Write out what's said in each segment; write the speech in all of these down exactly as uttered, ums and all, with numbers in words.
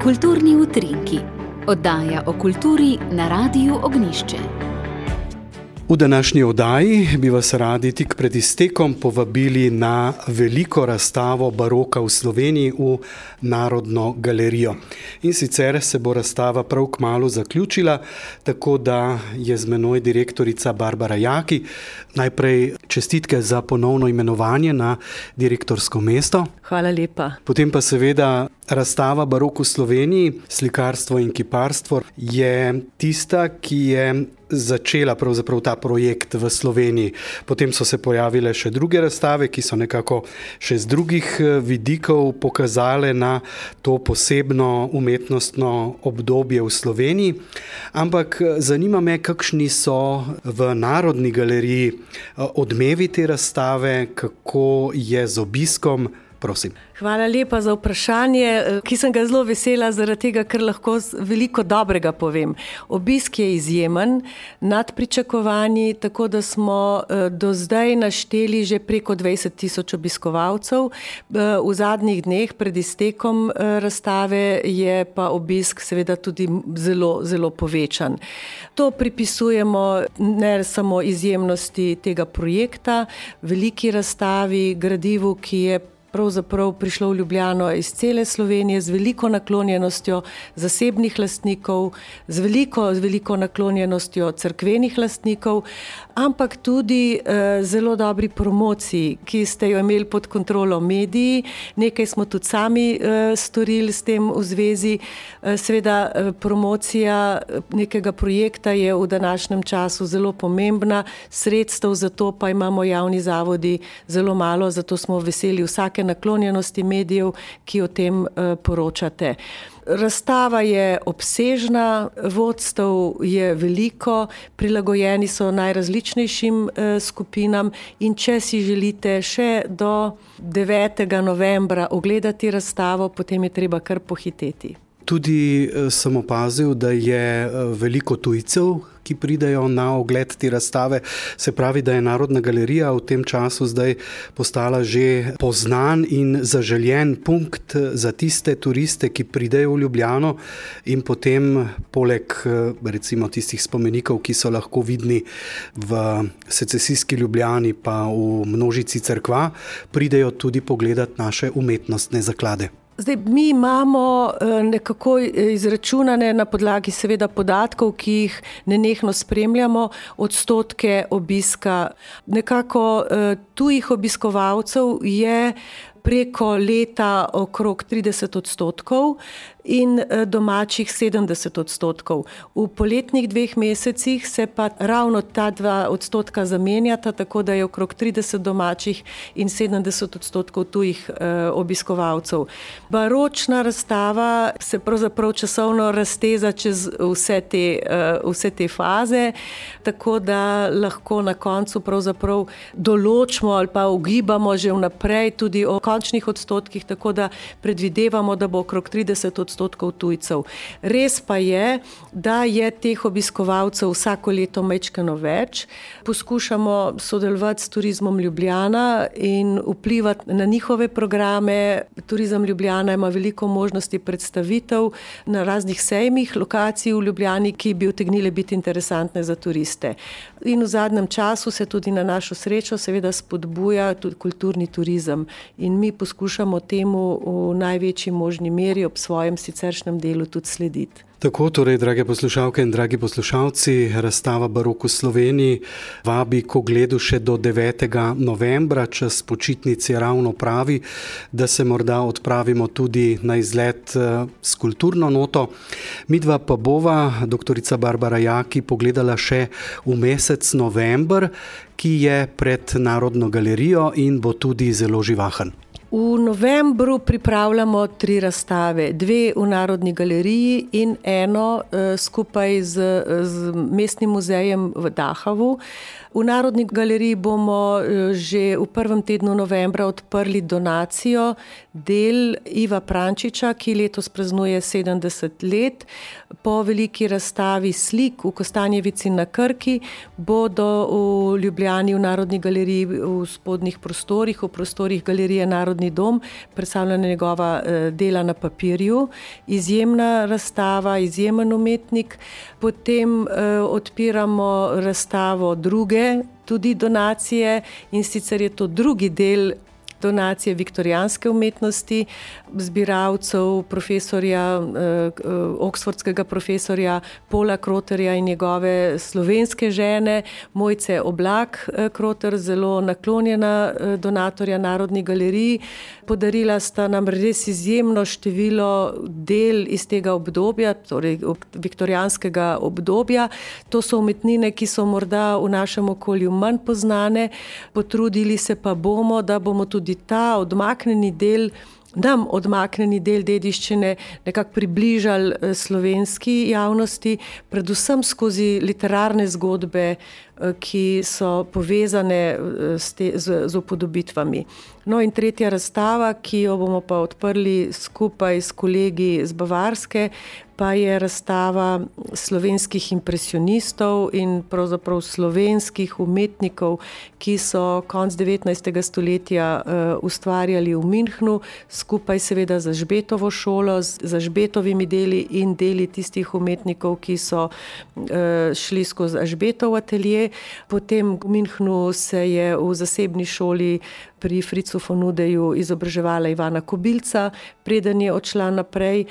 Kulturni utrinki, oddaja o kulturi na Radiu Ognjišče. V današnji oddaji bi vas radi tik pred iztekom povabili na veliko razstavo baroka v Sloveniji v Narodno galerijo. In sicer se bo razstava prav kmalu zaključila, tako da je z menoj direktorica Barbara Jaki. Najprej čestitke za ponovno imenovanje na direktorsko mesto. Hvala lepa. Potem pa seveda razstava Barok v Sloveniji, slikarstvo in kiparstvo je tista, ki je začela pravzaprav ta projekt v Sloveniji. Potem so se pojavile še druge razstave, ki so nekako še z drugih vidikov pokazale na to posebno umetnostno obdobje v Sloveniji. Ampak zanima me, kakšni so v Narodni galeriji odmevi te razstave, kako je z obiskom. Prosim. Hvala lepa za vprašanje, ki sem ga zelo vesela zaradi tega, ker lahko veliko dobrega povem. Obisk je izjemen, nad pričakovanji, tako da smo do zdaj našteli že preko dvajset tisoč obiskovalcev. V zadnjih dneh pred iztekom razstave je pa obisk seveda tudi zelo, zelo povečan. To pripisujemo ne samo izjemnosti tega projekta, veliki razstavi, gradivu, ki je pravzaprav prišlo v Ljubljano iz cele Slovenije z veliko naklonjenostjo zasebnih lastnikov, z veliko, z veliko naklonjenostjo cerkvenih lastnikov, ampak tudi eh, zelo dobri promociji, ki ste jo imeli pod kontrolo mediji. Nekaj smo tudi sami eh, storili s tem v zvezi. Eh, seveda eh, promocija nekega projekta je v današnjem času zelo pomembna, sredstev za to pa imamo javni zavodi zelo malo, zato smo veseli vsake naklonjenosti medijev, ki o tem uh, poročate. Razstava je obsežna, vodstev je veliko, prilagojeni so najrazličnejšim uh, skupinam in če si želite še do devetega novembra ogledati razstavo, potem je treba kar pohiteti. Tudi sem opazil, da je veliko tujcev, ki pridejo na ogled te razstave. Se pravi, da je Narodna galerija v tem času zdaj postala že poznan in zaželjen punkt za tiste turiste, ki pridejo v Ljubljano in potem poleg recimo tistih spomenikov, ki so lahko vidni v secesijski Ljubljani pa v množici cerkva, pridejo tudi pogledati naše umetnostne zaklade. Zdaj, mi imamo nekako izračunane na podlagi seveda podatkov, ki jih nenehno spremljamo, odstotke obiska. Nekako tujih obiskovalcev je preko leta okrog trideset odstotkov in domačih sedemdeset odstotkov. V poletnih dveh mesecih se pa ravno ta dva odstotka zamenjata, tako da je okrog trideset domačih in sedemdeset odstotkov tujih eh, obiskovalcev. Baročna razstava se pravzaprav časovno razteza čez vse te, eh, vse te faze, tako da lahko na koncu pravzaprav določimo ali pa ugibamo že vnaprej tudi o končnih odstotkih, tako da predvidevamo, da bo okrog trideset odstotkov tujcev. Res pa je, da je teh obiskovalcev vsako leto majčkeno več. Poskušamo sodelovati s Turizmom Ljubljana in vplivati na njihove programe. Turizem Ljubljana ima veliko možnosti predstavitev na raznih sejmih, lokacij v Ljubljani, ki bi utegnile biti interesantne za turiste. In v zadnjem času se tudi na našo srečo seveda spodbuja tudi kulturni turizem in mi poskušamo temu v največji možni meri ob svojem siceršnjem delu tudi slediti. Tako, torej, drage poslušalke in dragi poslušalci, razstava Barok v Sloveniji vabi k ogledu še do devetega novembra, čas počitnic je ravno pravi, da se morda odpravimo tudi na izlet s kulturno noto. Midva pa bova, doktorica Barbara Jaki, pogledala še v mesec november, ki je pred Narodno galerijo in bo tudi zelo živahen. V novembru pripravljamo tri razstave, dve v Narodni galeriji in eno uh, skupaj z, z Mestnim muzejem v Dahavu. V Narodni galeriji bomo uh, že v prvem tednu novembra odprli donacijo del Iva Prančiča, ki letos praznuje sedemdeset let. Po veliki razstavi slik v Kostanjevici na Krki bodo v Ljubljani v Narodni galeriji v spodnjih prostorih, v prostorih galerije Narodni dom, predstavljena njegova dela na papirju. Izjemna razstava, izjemen umetnik. Potem eh, odpiramo razstavo druge, tudi donacije, in sicer je to drugi del donacije viktorijanske umetnosti, zbiralcev profesorja, eh, oksfordskega profesorja Paula Kroterja in njegove slovenske žene, Mojce Oblak eh, Kroter, zelo naklonjena eh, donatorja Narodni galeriji. Podarila sta nam res izjemno število del iz tega obdobja, torej viktorijanskega obdobja. To so umetnine, ki so morda v našem okolju manj poznane, potrudili se pa bomo, da bomo tudi ta odmaknjeni del, nam odmaknjeni del dediščine nekako približali slovenski javnosti, predvsem skozi literarne zgodbe, ki so povezane s, te, z, z upodobitvami. No in tretja razstava, ki jo bomo pa odprli skupaj s kolegi z Bavarske, pa je razstava slovenskih impresionistov in pravzaprav slovenskih umetnikov, ki so konec devetnajstega stoletja uh, ustvarjali v Münchnu, skupaj seveda z Žbetovo šolo, z Žbetovimi deli in deli tistih umetnikov, ki so uh, šli skozi Žbetov atelje. Potem v Münchnu se je v zasebni šoli pri Fritzu von Udeju izobraževala Ivana Kobilca, preden je odšla naprej.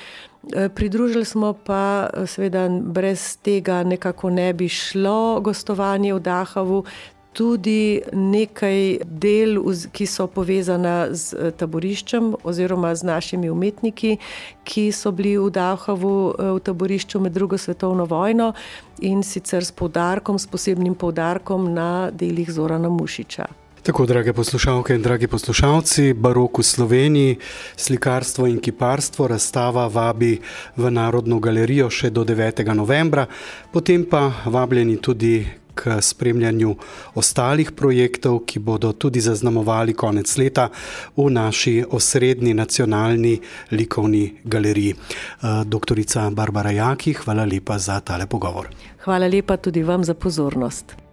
Pridružili smo pa, seveda brez tega nekako ne bi šlo gostovanje v Dachavu, tudi nekaj del, ki so povezana z taboriščem oziroma z našimi umetniki, ki so bili v Dachavu v taborišču med drugo svetovno vojno, in sicer s poudarkom, s posebnim poudarkom na delih Zorana Mušiča. Tako, drage poslušalke in dragi poslušalci, Barok v Sloveniji, slikarstvo in kiparstvo, razstava vabi v Narodno galerijo še do devetega novembra, potem pa vabljeni tudi k spremljanju ostalih projektov, ki bodo tudi zaznamovali konec leta v naši osrednji nacionalni likovni galeriji. Doktorica Barbara Jaki, hvala lepa za tale pogovor. Hvala lepa tudi vam za pozornost.